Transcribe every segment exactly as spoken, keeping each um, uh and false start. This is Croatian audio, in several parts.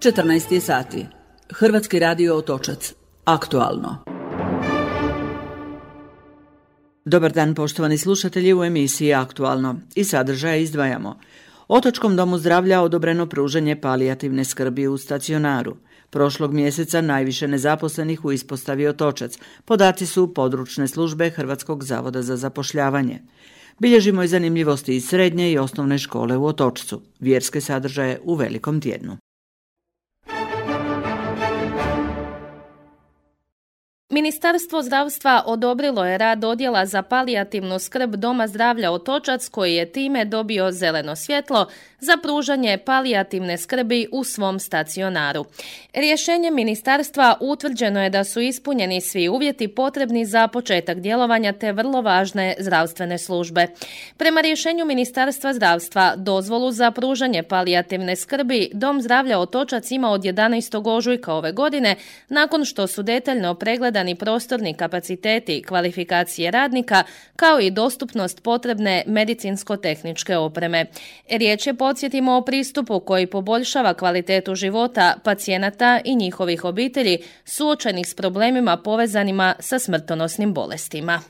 četrnaest je sati. Hrvatski radio Otočac. Aktualno. Dobar dan, poštovani slušatelji, u emisiji Aktualno. I sadržaje izdvajamo. Otočkom domu zdravlja odobreno pružanje palijativne skrbi u stacionaru. Prošlog mjeseca najviše nezaposlenih u ispostavi Otočac. Podaci su područne službe Hrvatskog zavoda za zapošljavanje. Bilježimo i zanimljivosti iz srednje i osnovne škole u Otočcu. Vjerske sadržaje u Velikom tjednu. Ministarstvo zdravstva odobrilo je rad odjela za palijativnu skrb Doma zdravlja Otočac, koji je time dobio zeleno svjetlo za pružanje palijativne skrbi u svom stacionaru. Rješenjem ministarstva utvrđeno je da su ispunjeni svi uvjeti potrebni za početak djelovanja te vrlo važne zdravstvene službe. Prema rješenju Ministarstva zdravstva, dozvolu za pružanje palijativne skrbi Dom zdravlja Otočac ima od jedanaestog ožujka ove godine, nakon što su detaljno pregledani prostorni kapaciteti, kvalifikacije radnika, kao i dostupnost potrebne medicinsko-tehničke opreme. Riječ je, podsjetimo, o pristupu koji poboljšava kvalitetu života pacijenata i njihovih obitelji suočenih s problemima povezanima sa smrtonosnim bolestima.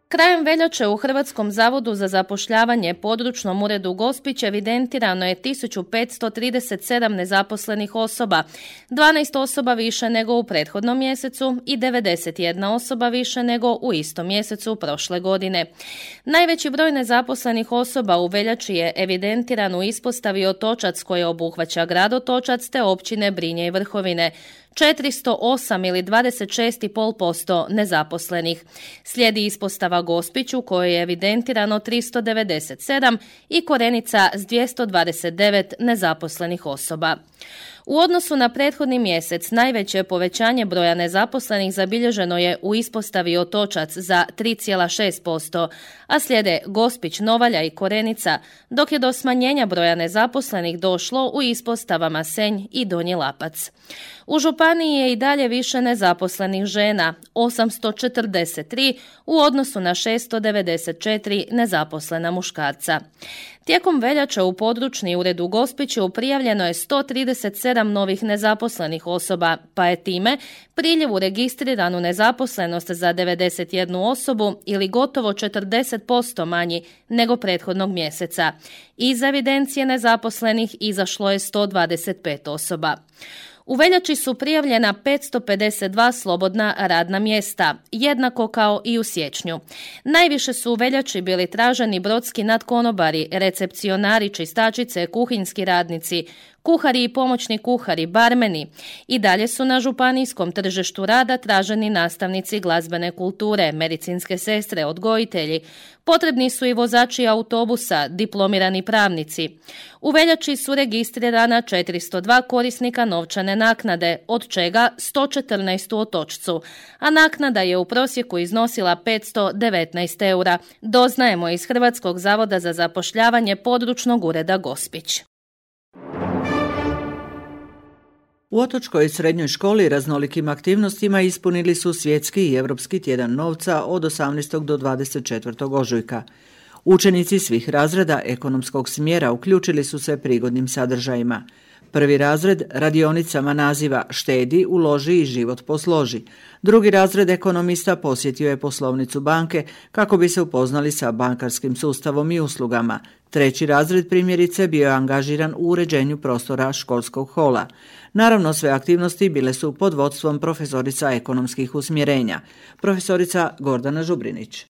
Krajem veljače u Hrvatskom zavodu za zapošljavanje područnom uredu Gospić evidentirano je tisuću petsto trideset sedam nezaposlenih osoba, dvanaest osoba više nego u prethodnom mjesecu i devedeset jedna osoba više nego u istom mjesecu prošle godine. Najveći broj nezaposlenih osoba u veljači je evidentiran u ispostavi Otočac, koja obuhvaća grad Otočac te općine Brinje i Vrhovine. četiristo osam ili dvadeset šest zarez pet posto nezaposlenih. Slijedi ispostava Gospić u kojoj je evidentirano tristo devedeset sedam i Korenica s dvjesto dvadeset devet nezaposlenih osoba. U odnosu na prethodni mjesec najveće povećanje broja nezaposlenih zabilježeno je u ispostavi Otočac za tri zarez šest posto, a slijede Gospić, Novalja i Korenica, dok je do smanjenja broja nezaposlenih došlo u ispostavama Senj i Donji Lapac. U županiji je i dalje više nezaposlenih žena, osamsto četrdeset tri u odnosu na šesto devedeset četiri nezaposlena muškarca. Tijekom veljače u područni ured u Gospiću prijavljeno je sto trideset sedam novih nezaposlenih osoba, pa je time priljev u registriranu nezaposlenost za devedeset jednu osobu ili gotovo četrdeset posto manji nego prethodnog mjeseca. Iz evidencije nezaposlenih izašlo je sto dvadeset pet osoba. U veljači su prijavljena petsto pedeset dva slobodna radna mjesta, jednako kao i u siječnju. Najviše su u veljači bili traženi brodski nadkonobari, recepcionari, čistačice, kuhinjski radnici, kuhari i pomoćni kuhari, barmeni. I dalje su na županijskom tržištu rada traženi nastavnici glazbene kulture, medicinske sestre, odgojitelji. Potrebni su i vozači autobusa, diplomirani pravnici. U veljači su registrirana četiristo dva korisnika novčane naknade, od čega sto četrnaest u Otočcu, a naknada je u prosjeku iznosila petsto devetnaest eura, doznajemo iz Hrvatskog zavoda za zapošljavanje područnog ureda Gospić. U Otočkoj srednjoj školi raznolikim aktivnostima ispunili su svjetski i europski tjedan novca od osamnaestog do dvadeset četvrtog ožujka. Učenici svih razreda ekonomskog smjera uključili su se prigodnim sadržajima. Prvi razred radionicama naziva Štedi, uloži i život posloži. Drugi razred ekonomista posjetio je poslovnicu banke kako bi se upoznali sa bankarskim sustavom i uslugama. Treći razred primjerice bio je angažiran u uređenju prostora školskog hola. Naravno, sve aktivnosti bile su pod vodstvom profesorica ekonomskih usmjerenja, profesorica Gordana Žubrinić.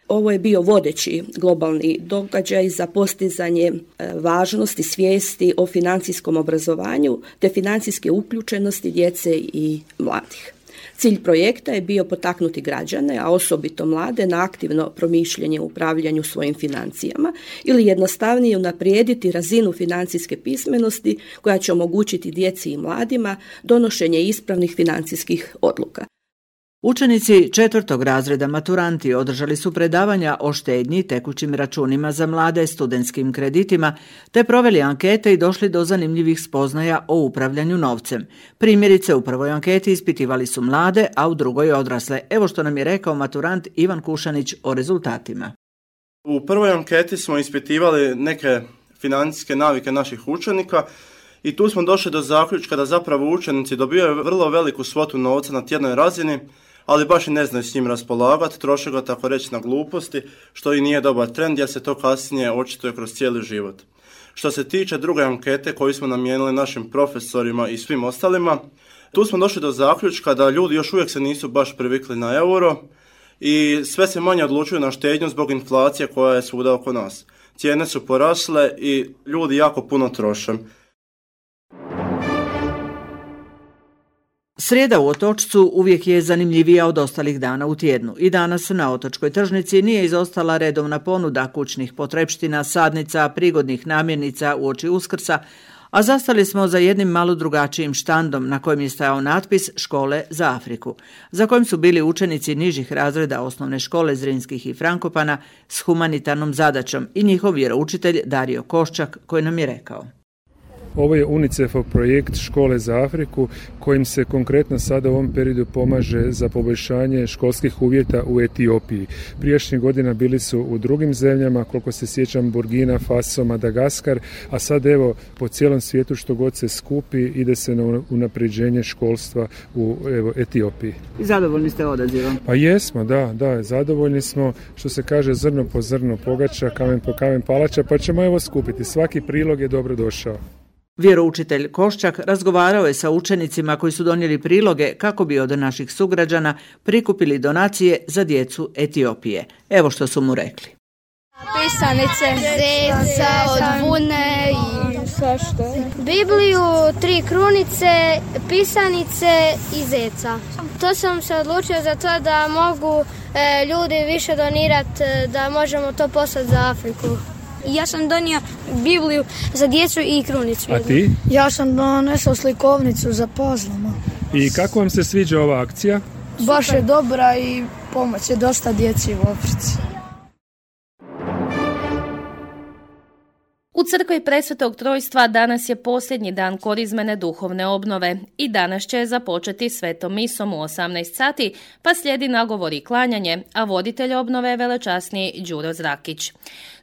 Ovo je bio vodeći globalni događaj za postizanje važnosti svijesti o financijskom obrazovanju te financijske uključenosti djece i mladih. Cilj projekta je bio potaknuti građane, a osobito mlade, na aktivno promišljanje u upravljanju svojim financijama ili jednostavnije unaprijediti razinu financijske pismenosti koja će omogućiti djeci i mladima donošenje ispravnih financijskih odluka. Učenici četvrtog razreda maturanti održali su predavanja o štednji, tekućim računima za mlade, studentskim kreditima, te proveli ankete i došli do zanimljivih spoznaja o upravljanju novcem. Primjerice, u prvoj anketi ispitivali su mlade, a u drugoj odrasle. Evo što nam je rekao maturant Ivan Kušanić o rezultatima. U prvoj anketi smo ispitivali neke financijske navike naših učenika i tu smo došli do zaključka da zapravo učenici dobivaju vrlo veliku svotu novca na tjednoj razini, ali baš i ne znaju s njim raspolagati, troše ga tako reći na gluposti, što i nije dobar trend jer se to kasnije očituje kroz cijeli život. Što se tiče druge ankete koju smo namijenili našim profesorima i svim ostalima, tu smo došli do zaključka da ljudi još uvijek se nisu baš privikli na euro i sve se manje odlučuju na štednju zbog inflacije koja je svuda oko nas. Cijene su porasle i ljudi jako puno troše. Srijeda u Otočcu uvijek je zanimljivija od ostalih dana u tjednu i danas na Otočkoj tržnici nije izostala redovna ponuda kućnih potrepština, sadnica, prigodnih namirnica uoči Uskrsa, a zastali smo za jednim malo drugačijim štandom na kojem je stajao natpis Škole za Afriku, za kojim su bili učenici nižih razreda osnovne škole Zrinskih i Frankopana s humanitarnom zadaćom i njihov vjeroučitelj Dario Koščak koji nam je rekao. Ovo je UNICEF-ov projekt Škole za Afriku kojim se konkretno sada u ovom periodu pomaže za poboljšanje školskih uvjeta u Etiopiji. Prijašnjih godina bili su u drugim zemljama, koliko se sjećam Burkina Faso, Madagaskar, a sad evo po cijelom svijetu što god se skupi ide se na unapređenje školstva u evo, Etiopiji. I zadovoljni ste odazivom? Pa jesmo, da, da, zadovoljni smo, što se kaže zrno po zrno pogača, kamen po kamen palača, pa ćemo evo skupiti. Svaki prilog je dobro došao. Vjeroučitelj Koščak razgovarao je sa učenicima koji su donijeli priloge kako bi od naših sugrađana prikupili donacije za djecu Etiopije. Evo što su mu rekli. Pisanice, zeca, od vune i svašta. Bibliju, tri krunice, pisanice i zeca. To sam se odlučio za to da mogu e, ljudi više donirati, da možemo to poslati za Afriku. Ja sam donio Bibliju za djecu i krunicu. A ti? Ja sam donesao slikovnicu za puzzlama. I kako vam se sviđa ova akcija? Baš je dobra i pomoć je dosta djeci u Africi. U crkvi Presvetog Trojstva danas je posljednji dan korizmene duhovne obnove i danas će započeti svetom misom u osamnaest sati, pa slijedi nagovor i klanjanje, a voditelj obnove je velečasni Đuro Zrakić.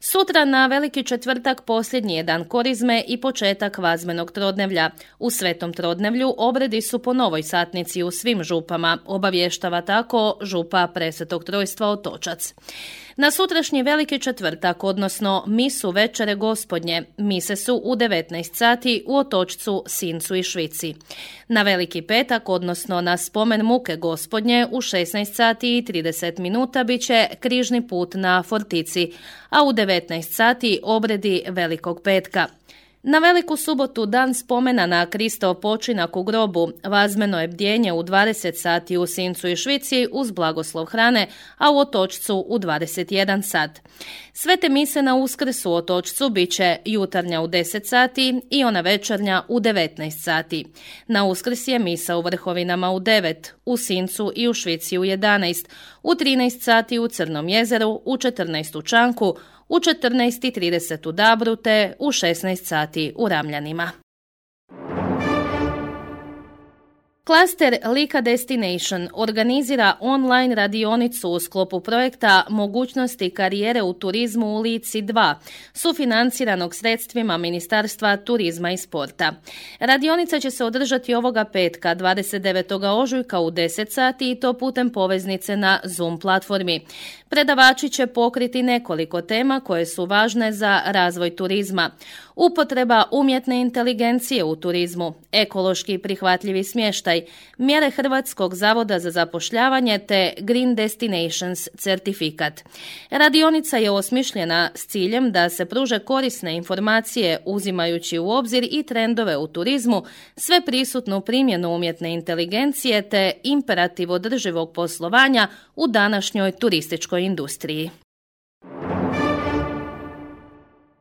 Sutra na Veliki četvrtak posljednji je dan korizme i početak vazmenog trodnevlja. U svetom trodnevlju obredi su po novoj satnici u svim župama, obavještava tako župa Presvetog Trojstva Otočac. Na sutrašnji Veliki četvrtak, odnosno misu večere Gospodnje, mise su u devetnaest sati u Otočcu, Sincu i Švici. Na Veliki petak, odnosno na spomen muke Gospodnje, u šesnaest sati i trideset minuta bit će križni put na Fortici, a u devetnaest sati obredi Velikog petka. Na Veliku subotu, dan spomena na Kristov počinak u grobu, vazmeno je bdjenje u dvadeset sati u Sincu i Švici uz blagoslov hrane, a u Otočcu u dvadeset jedan sat. Svete mise na Uskrs u Otočcu bit će jutarnja u deset sati i ona večernja u devetnaest sati. Na Uskrs je misa u Vrhovinama u devet, u Sincu i u Švici u jedanaest, u trinaest sati u Crnom jezeru, u četrnaest u Čanku, u četrnaest i trideset u Dabru te u šesnaest sati u Ramljanima. Klaster Lika Destination organizira online radionicu u sklopu projekta Mogućnosti karijere u turizmu u Lici dva, sufinanciranog sredstvima Ministarstva turizma i sporta. Radionica će se održati ovoga petka, dvadeset devetog ožujka u deset sati i to putem poveznice na Zoom platformi. Predavači će pokriti nekoliko tema koje su važne za razvoj turizma. Upotreba umjetne inteligencije u turizmu, ekološki prihvatljivi smještaj, mjere Hrvatskog zavoda za zapošljavanje te Green Destinations certifikat. Radionica je osmišljena s ciljem da se pruže korisne informacije uzimajući u obzir i trendove u turizmu, sve prisutnu primjenu umjetne inteligencije te imperativ održivog poslovanja u današnjoj turističkoj industriji.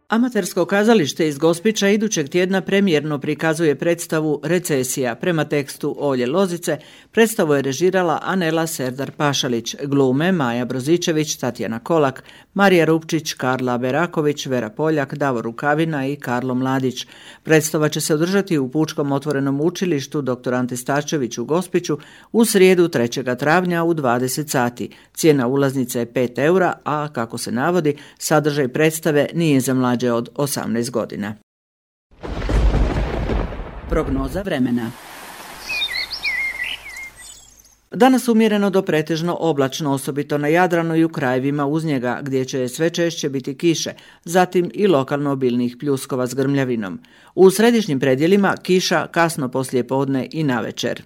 Amatersko kazalište iz Gospića idućeg tjedna premijerno prikazuje predstavu Recesija. Prema tekstu Olje Lozice, predstavu je režirala Anela Serdar-Pašalić, glume Maja Brozičević, Tatjana Kolak, Marija Rupčić, Karla Beraković, Vera Poljak, Davor Rukavina i Karlo Mladić. Predstava će se održati u Pučkom otvorenom učilištu doktor Ante Starčević u Gospiću u srijedu trećeg travnja u dvadeset sati. Cijena ulaznice je pet eura, a kako se navodi, sadržaj predstave nije za mlađe mlađe od osamnaest godina. Prognoza vremena. Danas umjereno do pretežno oblačno, osobito na Jadranu i u krajevima uz njega, gdje će sve češće biti kiše, zatim i lokalno obilnih pljuskova s grmljavinom. U središnjim predjelima kiša kasno poslijepodne i navečer.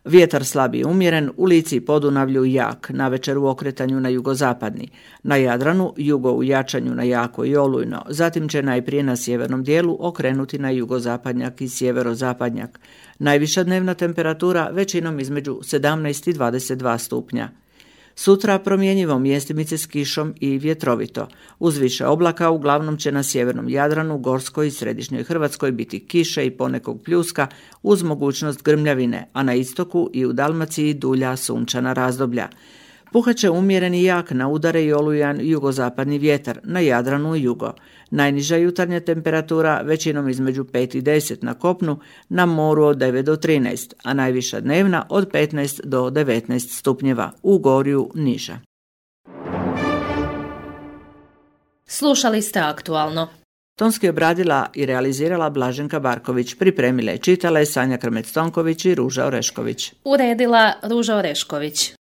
Vjetar slab i umjeren, u Lici i Podunavlju jak, navečer u okretanju na jugozapadni. Na Jadranu jugo u jačanju na jako i olujno, zatim će najprije na sjevernom dijelu okrenuti na jugozapadnjak i sjeverozapadnjak. Najviša dnevna temperatura većinom između sedamnaest i dvadeset dva stupnja. Sutra promjenjivo mjestimice s kišom i vjetrovito. Uz više oblaka uglavnom će na sjevernom Jadranu, Gorskoj i središnjoj Hrvatskoj biti kiše i ponekog pljuska uz mogućnost grmljavine, a na istoku i u Dalmaciji dulja sunčana razdoblja. Puhaće umjeren i jak na udare i olujan jugozapadni vjetar, na Jadranu i jugo. Najniža jutarnja temperatura većinom između pet i deset na kopnu, na moru od devet do trinaest, a najviša dnevna od petnaest do devetnaest stupnjeva, u Gorju niža. Slušali ste Aktualno. Tonski obradila i realizirala Blaženka Barković, pripremile i čitale Sanja Krmec-Tonković i Ruža Orešković. Uredila Ruža Orešković.